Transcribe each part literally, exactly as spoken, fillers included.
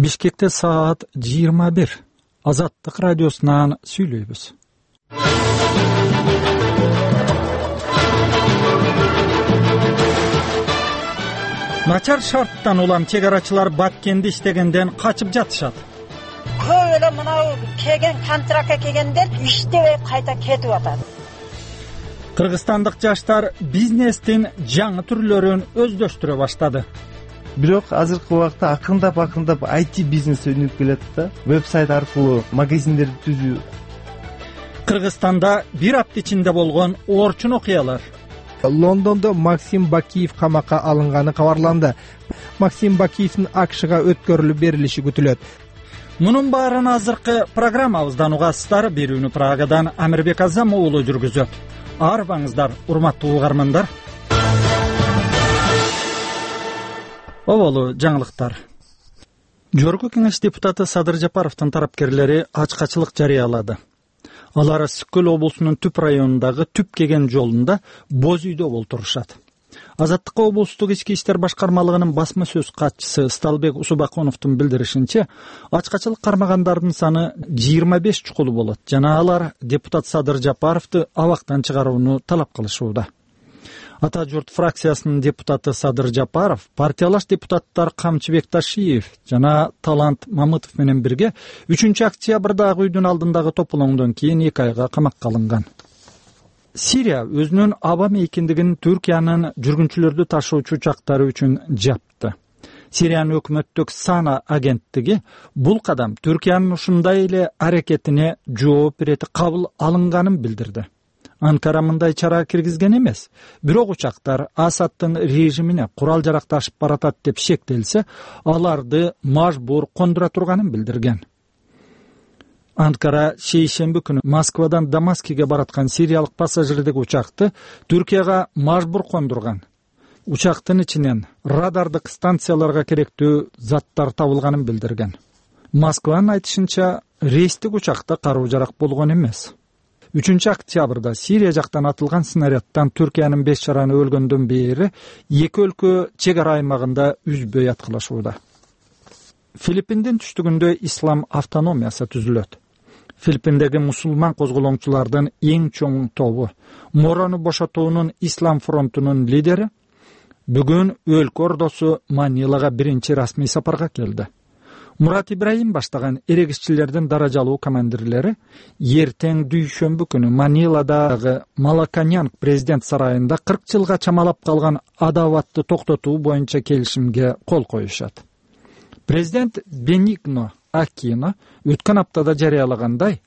Бишкекте саат жыйырма бир. Азаттык радиосунан сүйлөйбүз. Начар шарттан улам чек арачылар Баткенди иштегенден качып жатышат. Көп эле мынау келген контрактка келгендер иштебей кайта кетип атат. Кыргызстандык жаштар бизнестин жаңы түрлөрүн өздөштүрө баштады. Бирок азыркы убакта акырындап акырындап ай ти бизнес өнүгүп келатат да. Вебсайт аркылуу магазиндерди түзүү. Кыргызстанда бир апта ичинде болгон орчун окуялар. Лондондо Максим Бакиев камакка алынганы кабарланды. Максим Бакиевдин АКШга өткөрүлүп берилиши күтүлөт. Мунун баарын азыркы программабыздан угасыздар. Берүүнү Прагадан Амирбек Азам уулу жүргүзөт. Арбаңыздар, урматтуу угармандар. Оболу жаңылыктар. Жогорку кеңеш депутаты Садыр Жапаровдун тарапкерлери ачкачылык жарыялады. Алар Сүткөл облусунун Түп районундагы Түп кеген жолунда боз үйдө болтурушат. Азаттыкка облустук ички иштер башкармалыгынын басма сөз катчысы Сталбек Усубаконовдун билдиришинче, ачкачылык кармагандардын саны жыйырма беш чукулу болот жана алар депутат Садыр Жапаровду абактан чыгарууну талап кылышууда. Ата журт фракциясынын депутаты Садыр Жапаров, партиялаш депутаттар Камчыбек Ташиев жана Талант Мамытов менен бирге үчүнчү октябрда Ак үйдүн алдындагы тополоңдон кийин эки айга камакка алынган. Сирия өзүнүн аба мейкиндигин Түркиянын жүргүнчүлөрдү ташуучу учактары үчүн жапты. Сириянын өкмөттүк Сана агенттиги бул кадам Түркиянын ушундай эле аракетине жооп ирети кабыл алынганын билдирди. Анкара мындай чара киргизген эмес. Бирок учактар Асаддын режимине курал жаракташып баратат деп шектелсе, аларды мажбур кондура турганын билдирген. Анкара шейшемби күнү Москвадан Дамаскиге бараткан сириялык пассажирдик учакты Түркияга мажбур кондурган. Учактын ичинен радардык станцияларга керектүү заттар табылганын билдирген. Москванын айтышынча, рейстик учакта каруу жарак болгон эмес. үчүнчү октябрда Сирия жактан атылган снарядтан Түркиянын беш жараны өлгөндөн бери эки өлкө чек ара аймагында үзбөй аткылашууда. Филиппиндин түштүгүндө ислам автономиясы түзүлөт. Филиппиндеги мусулман козголоңчулардын эң чоң тобу, Морону бошотуунун Ислам фронтунун лидери, бүгүн өлкө ордосу Манилага биринчи расмий сапарга келди. Мурат Ибраим баштаган эрегишчилердин даражалуу командирлери эртең дүйшөмбү күнү Маниладагы Малаканьян президент сарайында кырк жылга чамалап калган адабатты токтотуу боюнча келишимге кол коюшат. Президент Бенигно Акино өткөн аптада жарыялагандай,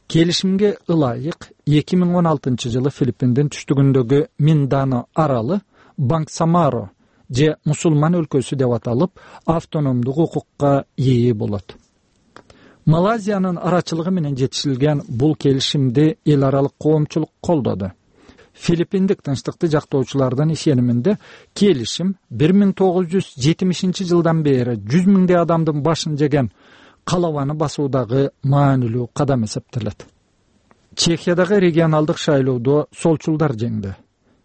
келишимге ылайык эки миң он алтынчы жылы Филиппиндин түштүгүндөгү Миндано аралы Бангсамаро же мусулман өлкөсү деп аталып, автономдук укукка ээ болот. Малайзиянын арачылыгы менен жетишилген бул келишимди эл аралык коомчулук колдоду. Филиппиндик тынчтыкты жактоочулардын ишениминде келишим бир миң тогуз жүз жетимишинчи жылдан бери жүз миңдей адамдын башын жеген калабаны басуудагы маанилүү кадам эсептелет. Чехиядагы регионалдык шайлоодо солчулдар жеңди.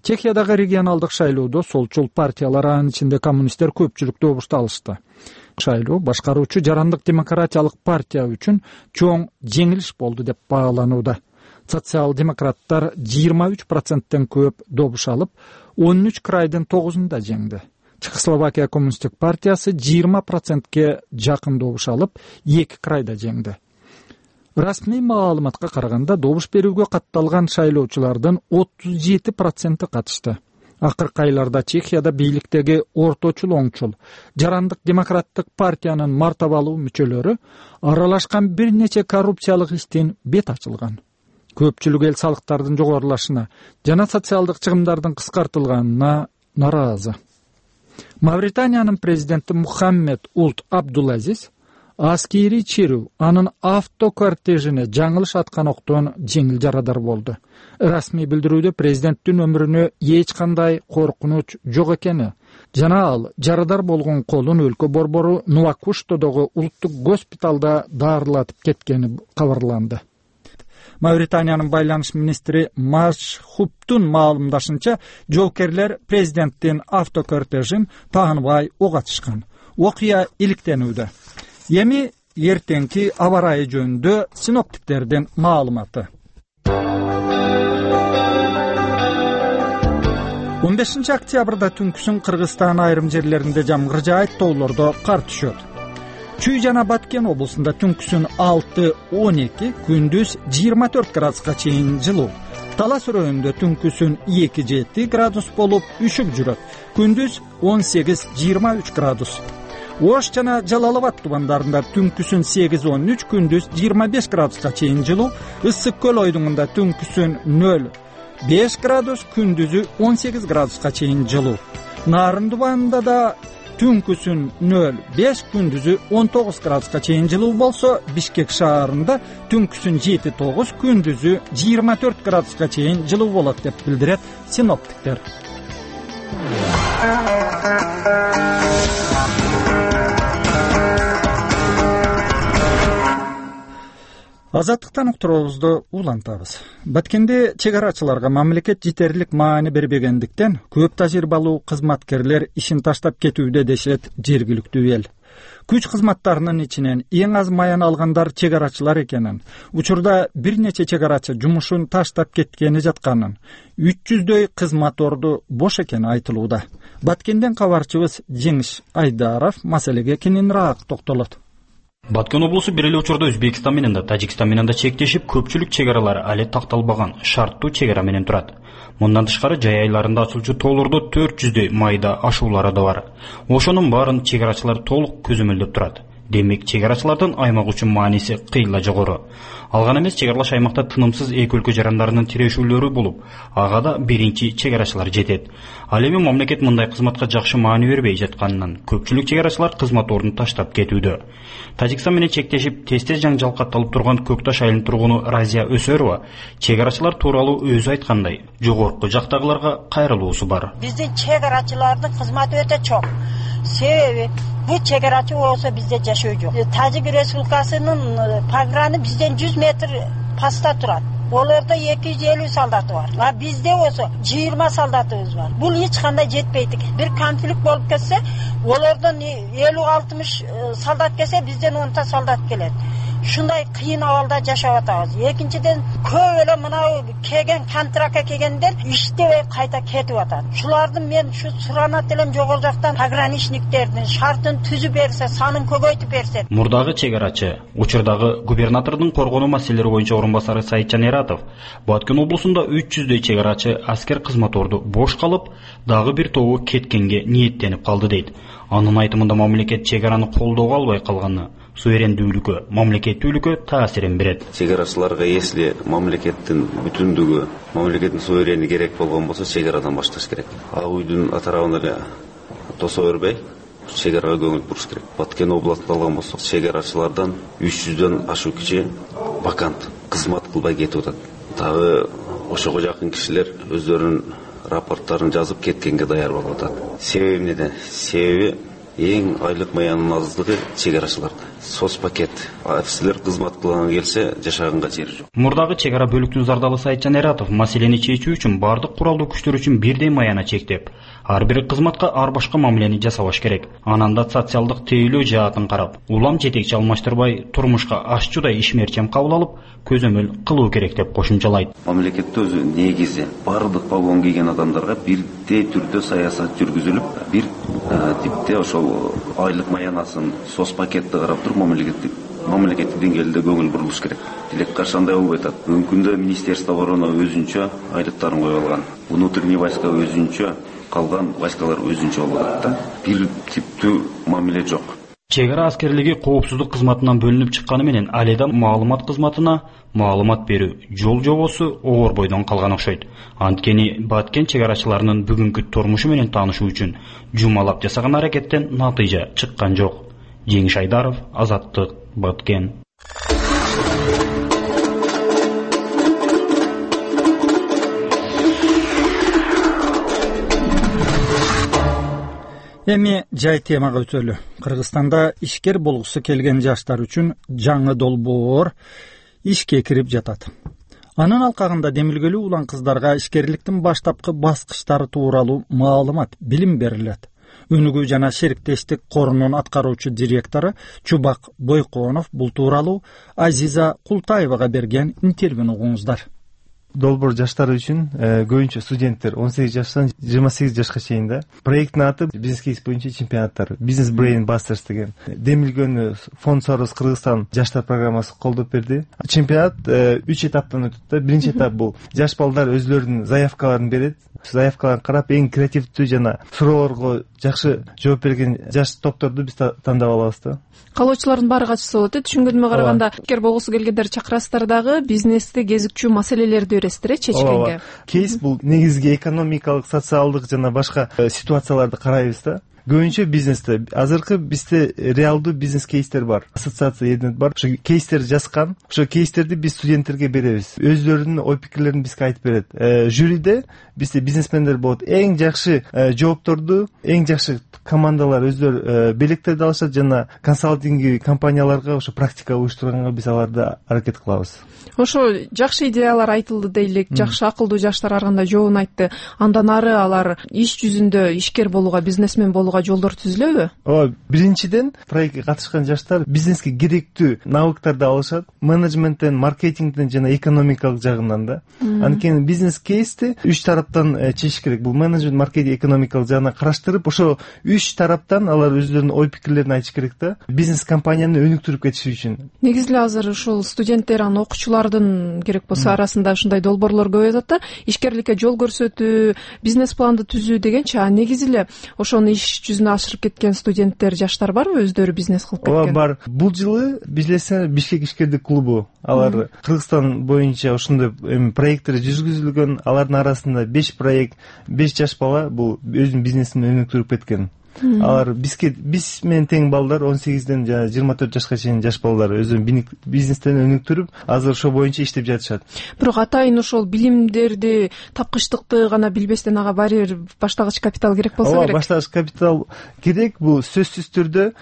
Чехиядагы регионалдык шайлоодо солчул партиялар, анын ичинде коммунисттер көпчүлүк добушту алышты. Шайлоо башкаруучу Жарандык демократиялык партия үчүн чоң жеңилиш болду деп бааланууда. Социал-демократтар жыйырма үч проценттен көп добуш алып, он үч крайдын тогузунда жеңди. Чехословакия коммунисттик партиясы жыйырма процентке жакын добуш алып, эки крайда жеңди. Расмий маалыматка караганда добуш берүүгө катталган шайлоочулардын отуз жети проценти катышты. Акыркы айларда Чехияда бийликтеги орточул оңчул Жарандык демократтык партиянын мартабалуу мүчөлөрү аралашкан бир нече коррупциялык иштин бет ачылган. Көпчүлүк эл салыктардын жогорулашына жана социалдык чыгымдардын кыскартылганына наразы. Мавританиянын президенти Мухаммед Улт Абдулазиз аскери чирүү анын автокортежине жаңылыш аткан октон жеңил жарадар болду. Расмий билдирүүдө президенттин өмүрүнө эч кандай коркунуч жок экени жана ал жарадар болгон колун өлкө борбору Нуакуштодогу улуттук госпиталда даарылатып кеткени кабарланды. Мавританиянын байланыш министри Машхубтун маалымдашынча, жоокерлер президенттин автокортежин тааныбай ок атышкан. Окуя иликтенүүдө. Эми эртеңки аба ырайы жөнүндө синоптиктердин маалыматы. он бешинчи октябрда түнкүсүн Кыргызстан айрым жерлеринде жамгыр жаайт, тоолордо кар түшөт. Чүй жана Баткен облусунда түнкүсүн алты он эки, күндүз жыйырма төрт градуска чейин жылуу. Талас районунда түнкүсүн эки жети градус болуп үшүп жүрөт. Күндүз он сегиз жыйырма үч градус. Ош жана Жалал Абад тубандарында түнкүсүн сегиз он үч, күндүз жыйырма беш градуска чейин жылуу. Ысык көл ойдуңунда түнкүсүн нөл беш градус, күндүзү он сегиз градуска чейин жылуу. Нарын тубанында да түнкүсүн нөл беш, күндүзү он тогуз градуска чейин жылуу болсо, Бишкек шаарында түнкүсүн жети тогуз, күндүзү жыйырма төрт градуска чейин жылуу болот деп билдирет синоптиктер. Азаттыктан уктуруубузду улантабыз. Баткенде чек арачыларга мамлекет жетерлик маани бербегендиктен көп тажрыйбалуу кызматкерлер ишин таштап кетүүдө дешет жергиликтүү эл. Күч кызматтарынын ичинен эң аз маян алгандар чек арачылар экенин, учурда бир нече чек арачы жумушун таштап кеткени жатканын, үч жүздөй кызмат орду бош экени айтылууда. Баткенден кабарчыбыз Жеңиш Айдаров маселеге кененирээк токтолот. Баткен облусу бир эле учурда Өзбекстан менен да, Тажикстан менен да чектешип, көпчүлүк чек аралар али такталбаган шарттуу чек ара менен турат. Мындан тышкары жай айларында ачылчу тоолордо төрт жүздөй майда ашуулары да бар. Ошонун баарын чек арачылар толук көзөмөлдөп турат. Демек, чек арачылардын аймак үчүн мааниси кыйла жогору. Ал гана эмес, чек аралаш аймакта тынымсыз эки өлкө жарандарынын тирешүүлөрү болуп, ага да биринчи чек арачылар жетет. Ал эми мамлекет мындай кызматка жакшы маани бербей жатканынан көпчүлүк чек арачылар кызмат ордун таштап кетүүдө. Тажикстан менен чектешип, тез-тез жаңжал катталып турган Көкташ айылынын тургуну Разия Өсөрова чек арачылар тууралуу өзү айткандай, жогорку жактагыларга кайрылуусу бар. Биздин чек арачылардын кызматы өтө чоң. Себеби бул чек арачы болсо бизде жашоо жок. Тажик Республикасынын пограны бизден жүз метр паста турат. Олордо эки жүз элүү солдаты бар. А бизде болсо жыйырма солдатыбыз бар. Бул эч кандай жетпейт экен. Бир конфликт болуп кетсе, олордон элүү алтымыш солдат келсе, бизден он та солдат келет. Шундай кыйын абалда жашап атабыз. Экинчиден, көп эле мынау келген контрактка келгендер иштебей кайта кетип атат. Шулардын мен ушу суранат элем жогору жактан пограничниктердин шартын түзүп берсе, санын көбөйтүп берсе. Мурдагы чек арачы, учурдагы губернатордун коргонуу маселелери боюнча орун басары Саитжан Эратов, Баткен облусунда үч жүздөй чек арачы аскер кызмат орду бош калып, дагы бир тобу кеткенге ниеттенип калды дейт. Анын айтымында мамлекет чек араны колдоого албай калганы суверендүүлүккө, мамлекеттүүлүккө таасирин берет. Чек арачыларга если мамлекеттин бүтүндүгү, мамлекеттин суверени керек болгон болсо, чек арадан башташ керек. А уйдун атарабына эле тосо бербей, чек арага көңүл буруш керек. Баткен областында алган болсок, чек арачылардан үч жүздөн ашуу киши вакант кызмат кылбай кетип атат. Дагы ошого жакын кишилер өздөрүнүн рапорттарын жазып кеткенге даяр болуп атат. Себеби эмнеде? Себеби эң айлык маянын аздыгы чек арачыларда. Сос пакет. Офицерлер кызмат кылган келсе, жашаганга жери жок. Мурдагы чек ара бөлүктүн зардалы Саитжан Эратов маселени чечүү үчүн бардык куралдуу күчтөр үчүн бирдей маяна чектеп, ар бир кызматка ар башка мамилени жасабаш керек. Анан да социалдык тейлөө жаатын карап, улам жетекчи алмаштырбай, турмушка ашчудай ишмерчем кабыл алып, көзөмөл кылуу керек деп кошумчалайт. Мамлекетте өзү негизи бардык погон кийген адамдарга бирдей түрдө саясат жүргүзүлүп, бир типте ошол айлык маянасын, сос пакетти карап туруп мамлекеттик мамлекеттик деңгээлде көңүл бурулуш керек. Тилек каршы андай болбой атат. Бүгүнкү күндө Министерство обороны өзүнчө айлыктарын коюп алган. Внутренний войска өзүнчө, калган войскалар өзүнчө болуп атат да. Бир типтүү мамиле жок. Чек ара аскерлиги коопсуздук кызматынан бөлүнүп чыкканы менен али да маалымат кызматына маалымат берүү жол жобосу оор бойдон калган окшойт. Анткени Баткен чек арачыларынын бүгүнкү турмушу менен таанышуу үчүн жумалап жасаган аракеттен натыйжа чыккан жок. Жеңиш Айдаров, Азаттык, Баткен. Эми жай темага өтөлү. Кыргызстанда ишкер болгусу келген жаштар үчүн жаңы долбоор ишке кирип жатат. Анын алкагында демилгелүү улан кыздарга ишкерликтин баштапкы баскычтары тууралуу маалымат, билим берилет. Өнүгүү жана шериктештик корунун аткаруучу директору Чубак Бойконов бул тууралуу Азиза Култаевага берген интервьюну угуңуздар. Долбоор жаштар үчүн көбүнчө студенттер он сегиз жаштан жыйырма сегиз жашка чейин да. Проекттин аты бизнес кейс боюнча чемпионаттар, Business Brain Busters деген. Демилгөнү фонд Soros Кыргызстан жаштар программасы колдоп берди. Чемпионат үч этаптан өтөт да. Биринчи этап бул жаш балдар өзлөрүнүн заявкаларын берет. Заявкаларын карап, эң креативдүү жана суроолорго жакшы жооп берген жаш топторду биз тандап алабыз да. Калоочулардын баары катышса болот э. Түшүнгөнүмө караганда, эгер болгусу келгендер чакырасыздар дагы бизнесте кезикчү маселелерди бересиздер э чечкенге. Кейс бул негизги экономикалык, социалдык жана башка ситуацияларды карайбыз да. Көбүнчө бизнесте азыркы бизде реалдуу бизнес кейстер бар, ассоциация единет бар. Ошо кейстерди жазган, ошо кейстерди биз студенттерге беребиз. Өздөрүнүн ой пикирлерин бизге айтып берет. Жюриде бизде бизнесмендер болот. Эң жакшы жоопторду, эң жакшы командалар өздөрү белектерди алышат жана консалтинг компанияларга ошо практика уюштурганга биз аларды аракет кылабыз. Ошо жакшы идеялар айтылды дейлик, жакшы акылдуу жаштар ар кандай жообун айтты. Андан ары алар иш жүзүндө ишкер болууга, бизнесмен болууга жолдор түзүлөбү? Ооба, биринчиден проектке катышкан жаштар бизнеске керектүү навыктарды алышат, менеджменттен, маркетингден жана экономикалык жагынан да. Анткени бизнес кейсти үч тараптан чечиш керек. Бул менеджмент, маркетинг, экономикалык жагынан караштырып, ошо үч тараптан алар өздөрүнүн ой пикирлерин айтыш керек да. Бизнес компанияны өнүктүрүп кетиш үчүн. Негизи эле азыр ушул студенттер, анан окуучулардын керек болсо арасында ушундай долбоорлор көп атат да. Ишкерликке жол көрсөтүү, бизнес планды түзүү дегенчи, а негизи эле ошону иш жүзүнө ашырып кеткен студенттер, жаштар барбы, өздөрү бизнес кылып кеткен? Ооба, бар. Бул жылы билесиңер Бишкек ишкердик клубу, алар Кыргызстан боюнча ошондой проекттер жүргүзүлгөн. Алардын арасында беш проект, беш жаш бала бул өзүнүн бизнесин өнүктүрүп кеткен. Алар бизге биз менен тең балдар, он сегизден жана жыйырма төрт жашка чейин жаш балдар өзүнүн бизнестерин өнүктүрүп, азыр ошо боюнча иштеп жатышат. Бирок атайын ошол билимдерди, тапкычтыкты гана билбестен ага баары бир баштагыч капитал керек болсо керек. Ооба, баштагыч капитал керек. Бул сөзсүз түрдө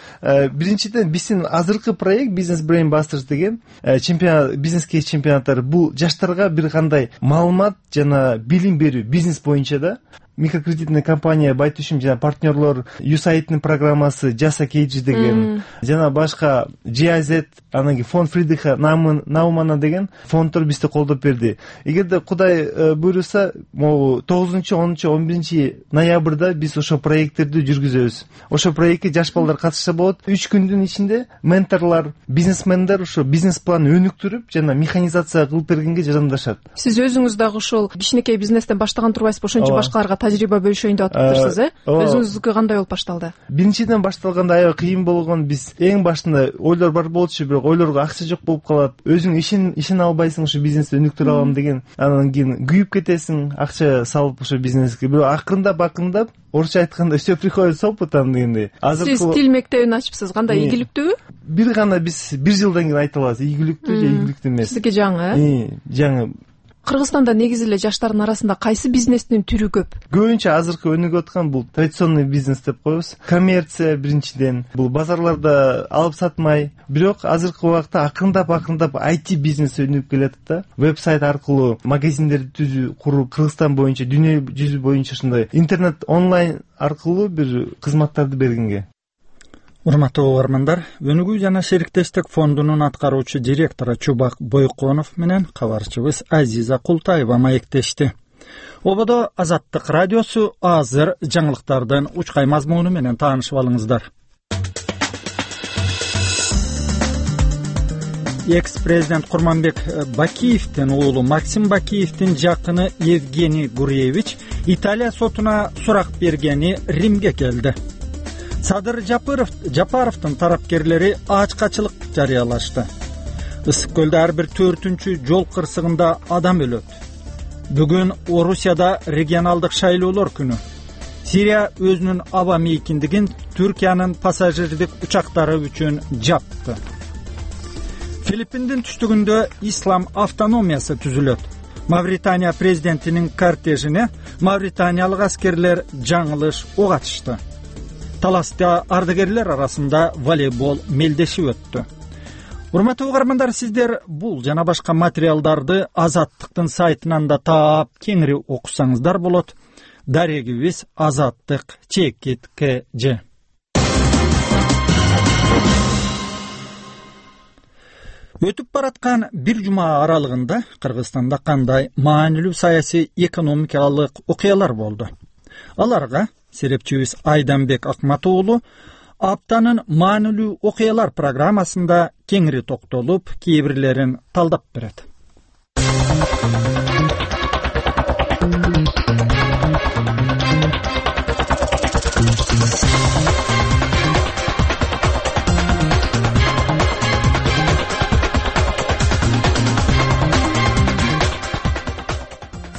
биринчиден биздин азыркы проект Business Brain Busters деген чемпионат, бизнес кейс чемпионаттары бул жаштарга бир кандай маалымат жана билим берүү бизнес боюнча да. Микрокредитный компания Байтүшүм жана партнерлор ю эс эй ай дин программасы Jasa Кейджи деген жана башка джи ай зет, анан кийин фонд Фридриха Наумана деген фонддор бизди колдоп берди. Эгерде Кудай буйруса, могу тогузунчу, онунчу, он биринчи ноябрда биз ошо проекттерди жүргүзөбүз. Ошо проектке жаш балдар катышса болот. үч күндүн ичинде менторлор, бизнесмендер ошо бизнес план өнүктүрүп жана механизация кылып бергенге жардамдашат. Сиз өзүңүз дагы ошол кичинекей бизнестен баштаган турбайсызбы? Ошончо башкаларга тажрыйба бөлүшөйүн деп атыптырсыз, э? Өзүңүздүкү кандай болуп башталды? Биринчиден башталганда аябай кыйын болгон. Биз эң башында ойлор бар болчу, бирок ойлорго акча жок болуп калат. Өзүң ишин ишин албайсың, ошо бизнести өнүктүрө алам деген. Анан кийин күйүп кетесиң, акча салып ошо бизнеске. Бирок акырындап акырындап, орусча айтканда все приходит с опытом дегендей. Сиз тил мектебин ачыпсыз, кандай ийгиликтүүбү? Бир гана биз бир жылдан кийин айта алабыз, ийгиликтүү же ийгиликтүү эмес. Сиздики жаңы, э? Жаңы. Кыргызстанда негизи эле жаштардын арасында кайсы бизнестин түрү көп? Көбүнчө азыркы өнүгүп аткан бул традиционный бизнес деп коебуз. Коммерция биринчиден, бул базарларда алып сатмай, бирок азыркы убакта акырындап акырындап ай ти бизнес өнүгүп келатат да. Веб-сайт аркылуу магазиндерди түзүү, куруп, Кыргызстан боюнча, дүйнө жүзү боюнча ушундай интернет онлайн аркылуу бир кызматтарды бергенге. Урматтуу угармандар, Өнүгүү жана шериктештик фондунун аткаруучу директору Чубак Бойконов менен кабарчыбыз Азиза Култаева маектешти. Ободо Азаттык радиосу, азыр жаңылыктардын учкай мазмуну менен таанышып алыңыздар. Экс-президент Курманбек Бакиевдин уулу Максим Бакиевдин жакыны Евгений Гурьевич Италия сотуна сурак бергени Римге келди. Садыр Жапаровдун тарапкерлери ачкачылык жарыялашты. Ысык көлдө ар бир төртүнчү жол кырсыгында адам өлөт. Бүгүн Орусияда регионалдык шайлоолор күнү. Сирия өзүнүн аба мейкиндигин Түркиянын пассажирдик учактары үчүн жапты. Филиппиндин түштүгүндө ислам автономиясы түзүлөт. Мавритания президентинин кортежине мавританиялык аскерлер жаңылыш ок атышты. Таласта ардагерлер арасында волейбол мелдешип өттү. Урматтуу угармандар, сиздер бул жана башка материалдарды Азаттыктын сайтынан да таап, кеңири окусаңыздар болот. дарегибиз Азаттык Чекит КЖ. Өтүп бараткан бир жума аралыгында Кыргызстанда кандай маанилүү саясий экономикалык окуялар болду? Аларга серепчибиз Айданбек Акматуулу аптанын маанилүү окуялар программасында кеңири токтолуп, кээ бирлерин талдап берет.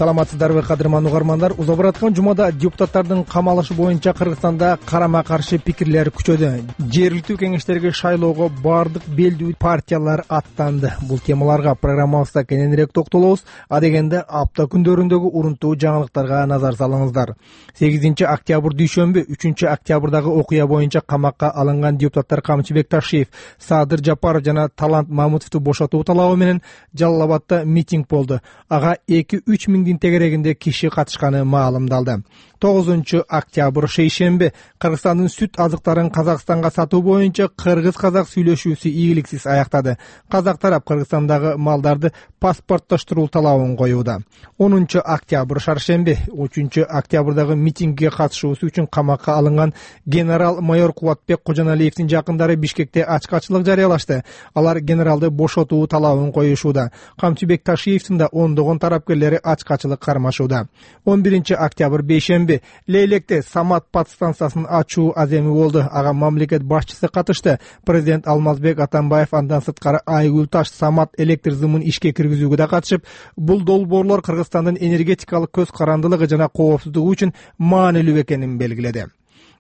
Саламатсыздарбы, кадырман угармандар? Уза бараткан жумада депутаттардын камалышы боюнча Кыргызстанда карама-каршы пикирлер күчөдү. Жергиликтүү кеңештерге шайлоого бардык белдүү партиялар аттанды. Бул темаларга программабызда кененирээк токтолобуз. Адегенде апта күндөрүндөгү урунтуу жаңылыктарга назар салыңыздар. сегизинчи октябрь дүйшөмбү, үчүнчү октябрдагы окуя боюнча камакка алынган депутаттар Камчыбек Ташиев, Садыр Жапаров жана Талант Мамутовду бошотуу талабы менен Жалал Абадда митинг болду. Ага эки-үч миңдин тегерегинде киши катышканы маалымдалды. тогузунчу октябрь шейшемби, Кыргызстандын сүт азыктарын Казакстанга сатуу боюнча кыргыз-казак сүйлөшүүсү ийгиликсиз аяктады. Казак тарап Кыргызстандагы малдарды паспорттоштуруу талабын коюуда. онунчу октябрь шаршемби, үчүнчү октябрдагы митингге катышуусу үчүн камакка алынган генерал-майор Кубатбек Кожоналиевдин жакындары Бишкекте ачкачылык жарыялашты. Алар генералды бошотуу талабын коюшууда. Камчыбек Ташиевдин да ондогон тарапкерлери ачкачылык кармашууда. он биринчи октябрь бейшемби, Лейлекте Самат подстанциясын ачуу аземи болду. Ага мамлекет башчысы катышты. Президент Алмазбек Атамбаев андан сырткары Айгүл Таш Самат электр зымын ишке киргизүүгө да катышып, бул долбоорлор Кыргызстандын энергетикалык көз карандылыгы жана коопсуздугу үчүн маанилүү экенин белгиледи.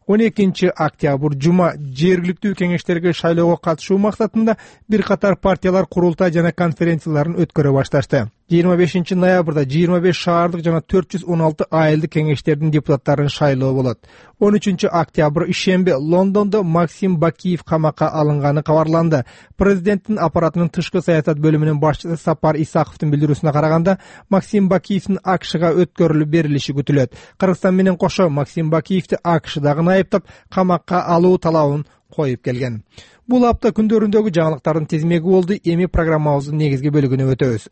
он экинчи октябрь жума, жергиликтүү кеңештерге шайлоого катышуу максатында бир катар партиялар курултай жана конференцияларын өткөрө башташты. жыйырма бешинчи ноябрда жыйырма беш шаардык жана төрт жүз он алты айылдык кеңештердин депутаттарын шайлоо болот. он үчүнчү октябрь ишемби, Лондондо Максим Бакиев камакка алынганы кабарланды. Президенттин аппаратынын тышкы саясат бөлүмүнүн башчысы Сапар Исаковдун билдирүүсүнө караганда, Максим Бакиевдин АКШга өткөрүлүп берилиши күтүлөт. Кыргызстан менен кошо Максим Бакиевди АКШдагы айыптап, камакка алуу талабын коюп келген. Бул апта күндөрүндөгү жаңылыктардын тизмеги болду. Эми программабыздын негизги бөлүгүнө өтөбүз.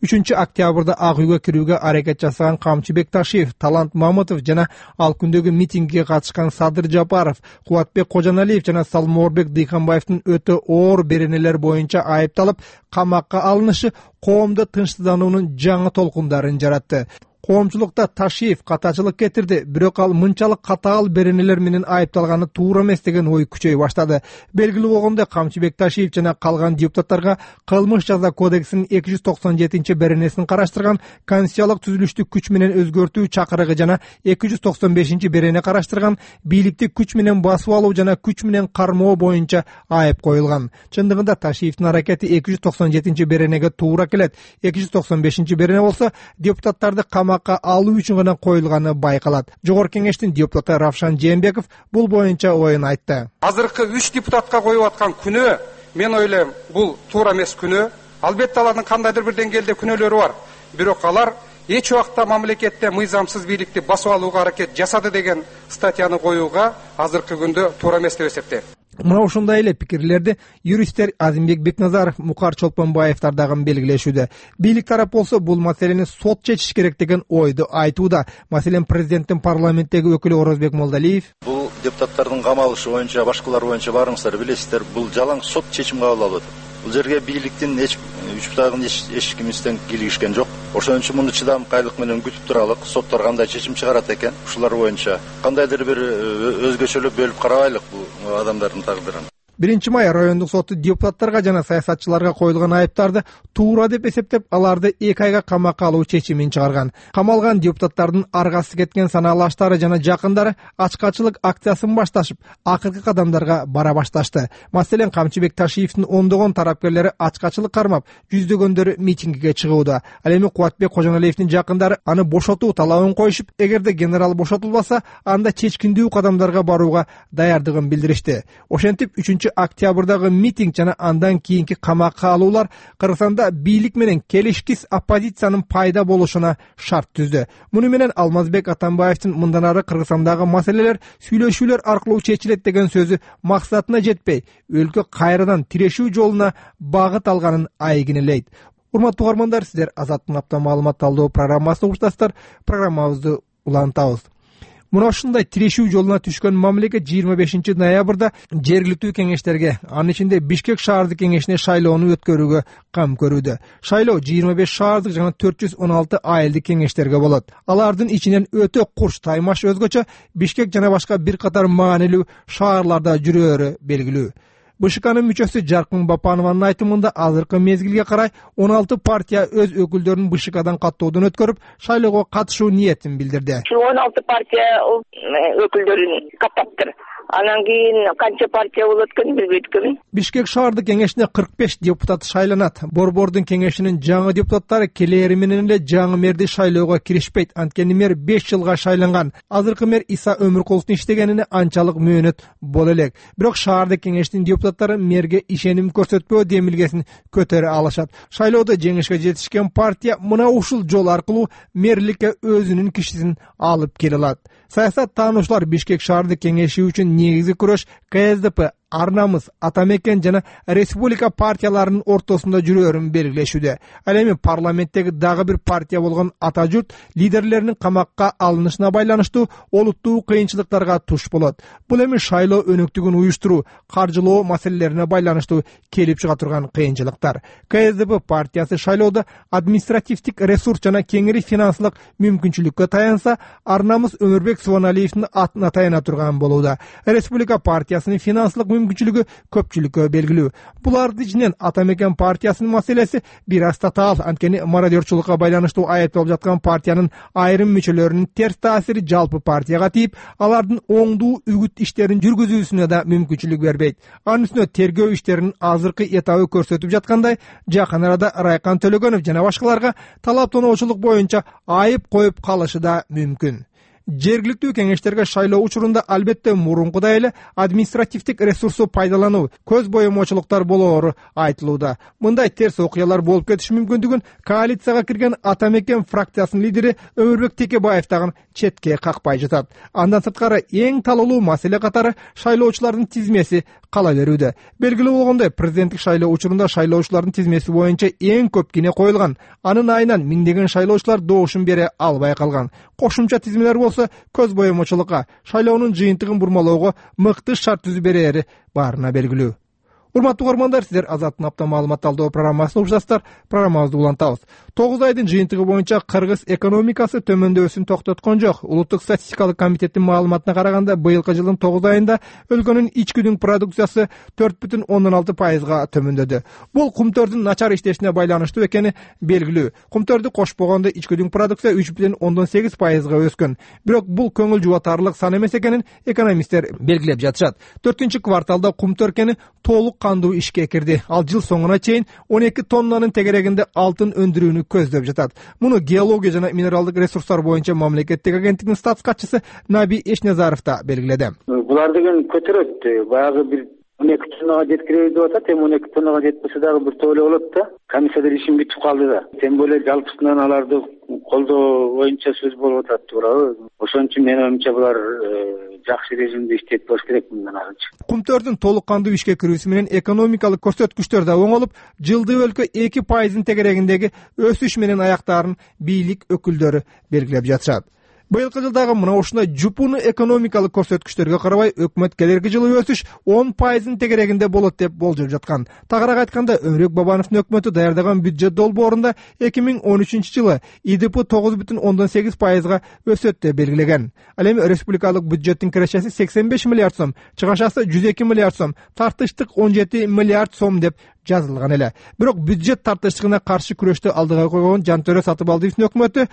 үчүнчү октябрда Ак үйгө кирүүгө аракет жасаган Камчыбек Ташиев, Талант Мамутов жана ал күндөгү митингге катышкан Садыр Жапаров, Кубатбек Кожоналиев жана Салморбек Дыйканбаевдин өтө оор беренелер боюнча айыпталып, камакка алынышы коомдо тынчсыздануунун жаңы толкундарын жаратты. Коомчулукта Ташиев катачылык кетирди, бирок ал мынчалык катаал беренелер менен айыпталганы туура эмес деген ой күчөй баштады. Белгилүү болгондой, Камчыбек Ташиев жана калган депутаттарга кылмыш жаза кодексинин эки жүз токсон жетинчи беренесин караштырган конституциялык түзүлүштү күч менен өзгөртүү чакырыгы жана эки жүз токсон бешинчи берене караштырган бийликти күч менен басып алуу жана күч менен кармоо боюнча айып коюлган. Чындыгында Ташиевдин аракети эки жүз токсон жетинчи беренеге туура келет. эки жүз токсон бешинчи берене болсо депутаттарды камакка алуу үчүн гана коюлганы байкалат. Жогорку кеңештин депутаты Равшан Жээнбеков бул боюнча оюн айтты. Азыркы үч депутатка коюп аткан күнөө, мен ойлойм, бул туура эмес күнөө. Албетте алардын кандайдыр бир деңгээлде күнөөлөрү бар. Бирок алар эч убакта мамлекетте мыйзамсыз бийликти басып алууга аракет жасады деген статьяны коюуга азыркы күндө туура эмес деп эсептейм. Мына ушундай эле пикирлерди юристтер Азимбек Бекназаров, Мукар Чолпонбаевдар дагы белгилешүүдө. Бийлик тарап болсо бул маселени сот чечиш керек деген ойду айтууда. Маселен, президенттин парламенттеги өкүлү Орозбек Молдалиев: бул депутаттардын камалышы боюнча, башкалар боюнча баарыңыздар билесиздер, бул жалаң сот чечим кабыл алып атат. Бул жерге бийликтин эч үч бутагын эч кимистен кийлигишкен жок. Ошон үчүн муну чыдамкайлык менен күтүп туралык. Соттор кандай чечим чыгарат экен, ушулар боюнча кандайдыр бир өзгөчөлөп бөлүп карабайлык бул адамдардын тагдырын. биринчи май райондук соту депутаттарга жана саясатчыларга коюлган айыптарды туура деп эсептеп, аларды эки айга камакка алуу чечимин чыгарган. Камалган депутаттардын аргасы кеткен санаалаштары жана жакындары ачкачылык акциясын башташып, акыркы кадамдарга бара башташты. Маселен, Камчыбек Ташиевдин ондогон тарапкерлери ачкачылык кармап, жүздөгөндөрү митингге чыгууда. Ал эми Кубатбек Кожоналиевдин жакындары аны бошотуу талабын коюшуп, эгерде генерал бошотулбаса, анда чечкиндүү кадамдарга барууга даярдыгын билдиришти. Ошентип, үчүнчү октябрдагы митинг жана андан кийинки камакка алуулар Кыргызстанда бийлик менен келишкис оппозициянын пайда болушуна шарт түздү. Муну менен Алмазбек Атамбаевдин мындан ары Кыргызстандагы маселелер сүйлөшүүлөр аркылуу чечилет деген сөзү максатына жетпей, өлкө кайрадан тирешүү жолуна багыт алганын айгинелейт. Урматтуу угармандар, сиздер Азаттын апта маалымат талдоо программасына уктасыздар. Программабызды улантабыз. Мына ушундай тирешүү жолуна түшкөн мамлекет жыйырма бешинчи ноябрда жергиликтүү кеңештерге, анын ичинде Бишкек шаардык кеңешине шайлоону өткөрүүгө кам көрүүдө. Шайлоо жыйырма беш шаардык жана төрт жүз он алты айылдык кеңештерге болот. Алардын ичинен өтө курч Таймаш өзгөчө, Бишкек жана башка бир катар маанилүү шаарларда жүрөөрү белгилүү. БШКнын мүчөсү Жаркын Бапанованын айтымында азыркы мезгилге карай он алты партия өз өкүлдөрүн БШКдан каттоодон өткөрүп, шайлоого катышуу ниетин билдирди. он алты партия өкүлдөрүн каттаптыр. Анан кийин канча партия болот экенин билбейт экенмин. Бишкек шаардык кеңешине кырк беш депутат шайланат. Борбордун кеңешинин жаңы депутаттары келери менен эле жаңы мэрди шайлоого киришпейт. Анткени мэр беш жылга шайланган. Азыркы мэр Иса Өмүркуловдун иштегенине анчалык мөөнөт боло элек. Бирок шаардык кеңештин депутаттары мэрге ишеним көрсөтпөө демилгесин көтөрө алышат. Шайлоодо жеңишке жетишкен партия мына ушул жол аркылуу мэрликке өзүнүн кишисин алып келе алат. Саясат таануучулар Бишкек шаардык кеңеши үчүн негизги күрөш КСДП, Арнамыз, Атамекен жана Республика партияларынын ортосунда жүрөөрүн белгилешүүдө. Ал эми парламенттеги дагы бир партия болгон Ата журт лидерлеринин камакка алынышына байланыштуу олуттуу кыйынчылыктарга туш болот. Бул эми шайлоо өнөктүгүн уюштуруу, каржылоо маселелерине байланыштуу келип чыга турган кыйынчылыктар. КСДП партиясы шайлоодо административдик ресурс жана кеңири финансылык мүмкүнчүлүккө таянса, Арнамыз Өмүрбек Субаналиевдин атына таяна турган болууда. Республика партиясынын финансылык мүмкүнчүлүгү көпчүлүккө белгилүү. Булардын ичинен Атамекен партиясынын маселеси бир аз татаал, анткени мародерчулукка байланыштуу айыпталып жаткан партиянын айрым мүчөлөрүнүн терс таасири жалпы партияга тийип, алардын оңдуу үгүт иштерин жүргүзүүсүнө да мүмкүнчүлүк бербейт. Анын үстүнө тергөө иштеринин азыркы этабы көрсөтүп жаткандай, жакын арада Райкан Төлөгөнов жана башкаларга талап-тоноочулук боюнча айып коюп калышы да мүмкүн. Жергиликтүү кеңештерге шайлоо учурунда албетте мурункудай эле административдик ресурсу пайдалануу, көз боемочулуктар болоору айтылууда. Мындай терс окуялар болуп кетиши мүмкүндүгүн коалицияга кирген Атамекен фракциясынын лидери Өмүрбек Текебаев дагы четке какпай жатат. Андан сырткары эң талоолуу маселе катары шайлоочулардын тизмеси кала берүүдө. Белгилүү болгондой, президенттик шайлоо учурунда шайлоочулардын тизмеси боюнча эң көп кине коюлган. Анын айынан миңдеген шайлоочулар доошун бере албай калган. Кошумча тизмелер болсо көз боемочулукка, шайлоонун жыйынтыгын бурмалоого мыкты шарт түзүп берери баарына белгилүү. Урматтуу угармандар, сиздер Азаттын апта маалымат талдоо программасына уктасыздар. Программабызды улантабыз. тогуз айдын жыйынтыгы боюнча Кыргыз экономикасы төмөндөшүн токтоткон жок. Улуттук статистикалык комитеттин маалыматына караганда, быйылкы жылдын тогуз айында өлкөнүн ички дүң продукциясы төрт бүтүн ондон алты пайызга төмөндөдү. Бул кумтөрдүн начар иштешине байланыштуу экени белгилүү. Кумтөрдү кошпогондо ички дүң продукция үч бүтүн ондон сегиз пайызга өскөн. Бирок бул көңүл жубатарлык сан эмес экенин экономисттер белгилеп жатышат. төртүнчү кварталда кумтөркени толук кандуу ишке кирди. Ал жыл соңуна чейин он эки тоннанын тегерегинде алтын өндүрүүнү көздөп жатат. Муну геология жана минералдык ресурстар боюнча мамлекеттик агенттигинин статс катчысы Наби Эшназаров да белгиледи. Булар деген көтөрөт. Баягы бир он эки тоннага жеткиребиз деп атат. Эми он эки тоннага жетпесе дагы бир тооло болот да. Комиссиялар ишин бүтүп калды да. Тем более жалпысынан аларды колдоо боюнча сөз болуп атат, туурабы? Ошон үчүн менин оюмча булар жакшы режимде иштеп болуш керек мындан арычы. Кумтөрдүн толук кандуу ишке кирүүсү менен экономикалык көрсөткүчтөр да оңолуп, жылдый өлкө эки пайыздын тегерегиндеги өсүш менен аяктаарын бийлик өкүлдөрү белгилеп жатышат. Быйылкы жылдагы мына ушундай жупуну экономикалык көрсөткүчтөргө карабай, өкмөт келерки жылы өсүш он пайыздын тегерегинде болот деп болжоп жаткан. Тагыраак айтканда, Өмүрбек Бабановдун өкмөтү даярдаган бюджет долбоорунда эки миң он үчүнчү жылы И Д П тогуз бүтүн ондон сегиз пайызга өсөт деп белгилеген. Ал эми республикалык бюджеттин кирешеси сексен беш миллиард сом, чыгашасы жүз эки миллиард сом, тартыштык он жети миллиард сом деп жазылган эле. Бирок бюджет тартыштыгына каршы күрөштү алдыга койгон Жантөре Сатыбалдиевдин өкмөтү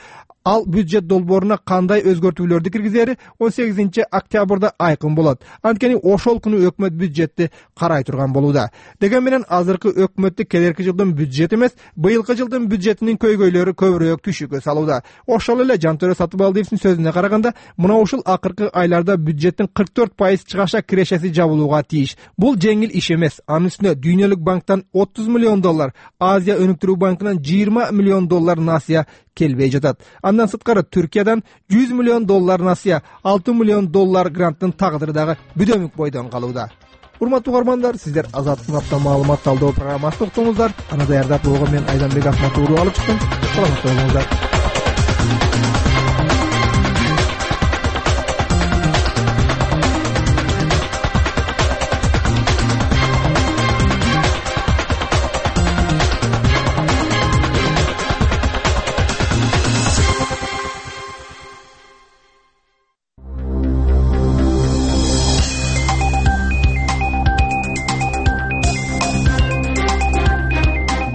ал бюджет долбооруна кандай өзгөртүүлөрдү киргизери он сегизинчи октябрда айкын болот. Анткени ошол күнү өкмөт бюджетти карай турган болууда. Деген менен азыркы өкмөттү келерки жылдын бюджети эмес, быйылкы жылдын бюджетинин көйгөйлөрү көбүрөөк түшүккө салууда. Ошол эле Жантөре Сатыбалдиевдин сөзүнө караганда, мына ушул акыркы айларда бюджеттин кырк төрт пайыз чыгаша кирешеси жабылууга тийиш. Бул жеңил иш эмес. Анын үстүнө Дүйнөлүк банктан отуз миллион доллар, Азия өнүктүрүү банкынан жыйырма миллион доллар насыя келбей жатат. Андан сырткары Түркиядан жүз миллион доллар насыя, алты миллион доллар гранттын тагдыры дагы бүдөмүк бойдон калууда. Урматтуу угармандар, сиздер Азаттын апта маалымат талдоо программасын уктуңуздар. Аны даярдап болгон мен Айданбек Ахматов алып чыктым. Саламатта болуңуздар.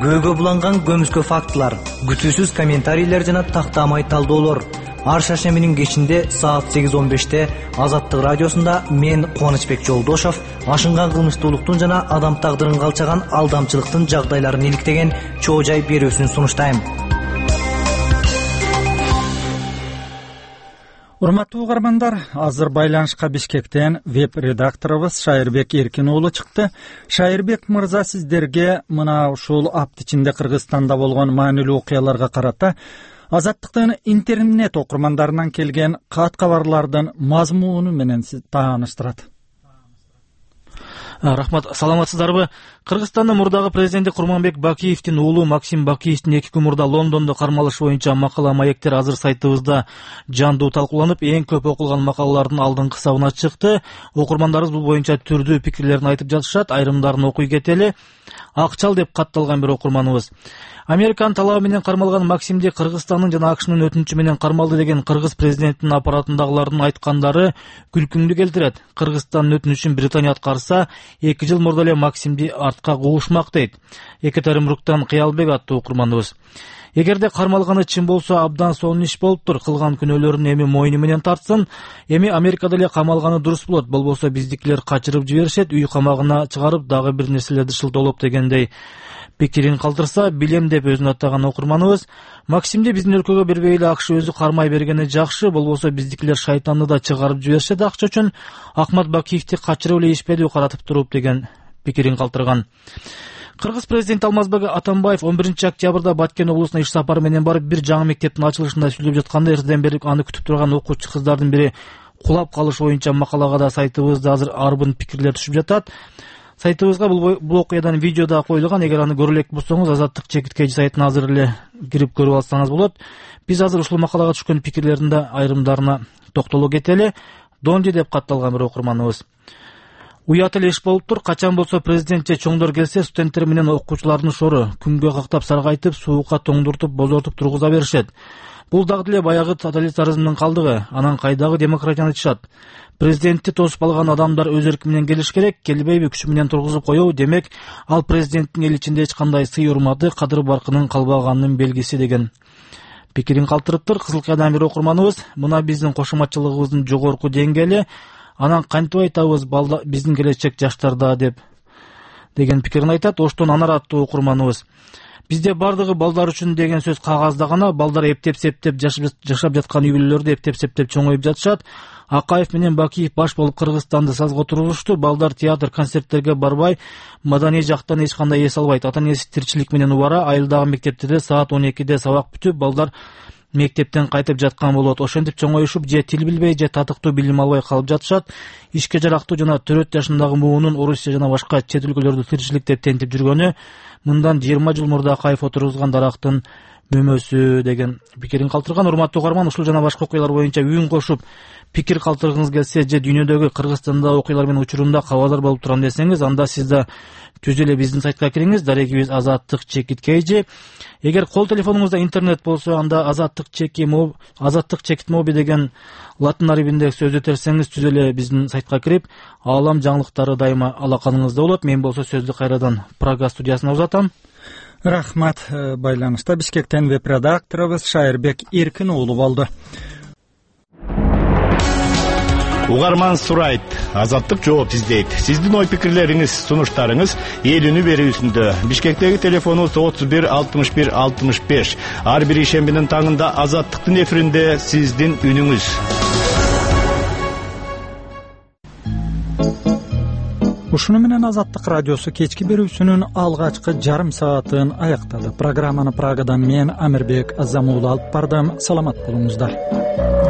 Көйгө буланган көмүскө фактылар, күтүүсүз комментарийлер жана тактамай талдоолор. Ар шаршембинин кечинде саат сегиз он беште Азаттык радиосунда мен Кубанычбек Жолдошов ашынган кылмыштуулуктун жана адам тагдырын калчаган алдамчылыктын жагдайларын иликтеген чоо жай берүүсүн сунуштайм. Урматтуу угармандар, азыр байланышка Бишкектен веб-редакторубуз Шайырбек Эркин уулу чыкты. Шайырбек мырза, сиздерге мына ушул апта ичинде Кыргызстанда болгон маанилүү окуяларга карата Азаттыктын интернет окурмандарынан келген кат кабарлардын мазмуну менен тааныштырат. Рахмат, саламатсыздарбы? Кыргызстандын мурдагы президенти Курманбек Бакиевдин уулу Максим Бакиевдин эки күн мурда Лондондо кармалыш боюнча макала маектер азыр сайтыбызда жандуу талкууланып, эң көп окулган макалалардын алдыңкы сабына чыкты. Окурмандарыбыз бул боюнча түрдүү пикирлерин айтып жатышат, айрымдарын окуй кетели. Акчал деп катталган бир окурманыбыз. Американын талабы менен кармалган Максимди Кыргызстандын жана АКШнын өтүнүчү менен кармалды деген кыргыз президентинин аппаратындагылардын айткандары күлкүңдү келтирет. Кыргызстандын өтүнүчүн Британия аткарса, эки жыл мурда эле Максимди артка куушмак дейт. Екатеринбургтан Кыялбек аттуу окурманыбыз. Эгерде кармалганы чын болсо, абдан сонун иш болуптур. Кылган күнөөлөрүн эми мойну менен тартсын. Эми Америкада эле камалганы дурус болот. Болбосо биздикилер качырып жиберишет, үй камагына чыгарып дагы бир нерселерди шылтоолоп дегендей пикирин калтырса, билем деп өзүн аттаган окурманыбыз. Максимди биздин өлкөгө бербей эле АКШ өзү кармай бергени жакшы. Болбосо биздикилер шайтанды да чыгарып жиберишет акча үчүн. Ахмат Бакиевди качырып эле ишпеди каратып туруп деген пикирин калтырган. Кыргыз президенти Алмазбек Атамбаев он биринчи октябрда Баткен облусуна иш сапары менен барып, бир жаңы мектептин ачылышында сүйлөп жатканда, эртеден бери аны күтүп турган окуучу кыздардын бири кулап калыш боюнча макалага да сайтыбызда азыр арбын пикирлер түшүп жатат. Сайтыбызга бул бул окуядан видео да коюлган. Эгер аны көрө элек болсоңуз, Азаттык чекиткей сайтына азыр эле кирип көрүп алсаңыз болот. Биз азыр ушул макалага түшкөн пикирлердин да айрымдарына токтоло кетели. Донди деп катталган бир окурманыбыз. Уят эле иш болуптур. Качан болсо президент же чоңдор келсе, студенттер менен окуучулардын шору күнгө кактап саргайтып, суукка тоңдуртуп, бозортуп тургуза беришет. Бул дагы деле баягы тоталитаризмдин калдыгы. Анан кайдагы демократияны айтышат. Президентти тосуп алган адамдар өз эрки менен келиш керек, келбейби күчү менен тургузуп коёбу. Демек, ал президенттин эл ичинде эч кандай сый урматы, кадыр баркынын калбаганынын белгиси деген пикирин калтырыптыр. Кызыл Кыядан бир окурманыбыз. Мына биздин кошуматчылыгыбыздын жогорку деңгээли. Анан кантип айтабыз, биздин келечек жаштарда деп деген пикирин айтат. Оштон Анар аттуу окурманыбыз. Бизде бардыгы балдар үчүн деген сөз кагазда гана. Балдар эптеп-септеп жашап жаткан үй бүлөлөрдө эптеп-септеп чоңоюп жатышат. Акаев менен Бакиев баш болуп Кыргызстанды сазга тургузушту. Балдар театр, концерттерге барбай, маданий жактан эч кандай эс албайт. Ата-энеси тирчилик менен убара, айылдагы мектептерде саат он экиде сабак бүтүп, балдар мектептен кайтып жаткан болот. Ошентип чоңоюшуп, же тил билбей, же татыктуу билим албай калып жатышат. Ишке жарактуу жана төрт жашындагы муунун Орусия жана башка чет өлкөлөрдө тирчиликтеп тентип жүргөнү мындан жыйырма жыл мурда Акаев отургузган дарактын мөмөсү деген пикирин калтырган. Урматтуу угарман, ушул жана башка окуялар боюнча үн кошуп пикир калтыргыңыз келсе же дүйнөдөгү Кыргызстанда окуялар менен учурунда кабардар болуп турам десеңиз, анда сиз да түз эле биздин сайтка кириңиз. Дарегибиз Азаттык чекит кей же. Эгер кол телефонуңузда интернет болсо, анда азаттык чеки азаттык чекит моби деген латын арибинде сөздү терсеңиз, түз эле биздин сайтка кирип, аалам жаңылыктары дайыма алаканыңызда болот. Мен болсо сөздү кайрадан Прага студиясына узатам. Рахмат. Байланышта Бишкектен веб редакторубуз Шайырбек Эркин уулу болду. Угарман сурайт, Азаттык жооп издейт. Сиздин ой пикирлериңиз, сунуштарыңыз эл үнү берүүсүндө. Бишкектеги телефонубуз отуз бир алтымыш бир алтымыш беш. Ар бир ишембинин таңында Азаттыктын эфиринде сиздин үнүңүз. Ушуну менен Азаттык радиосу кечки берүүсүнүн алгачкы жарым саатын аяктады. Программаны Прагадан мен Амирбек Азамуулу алып бардым. Саламат болуңуздар.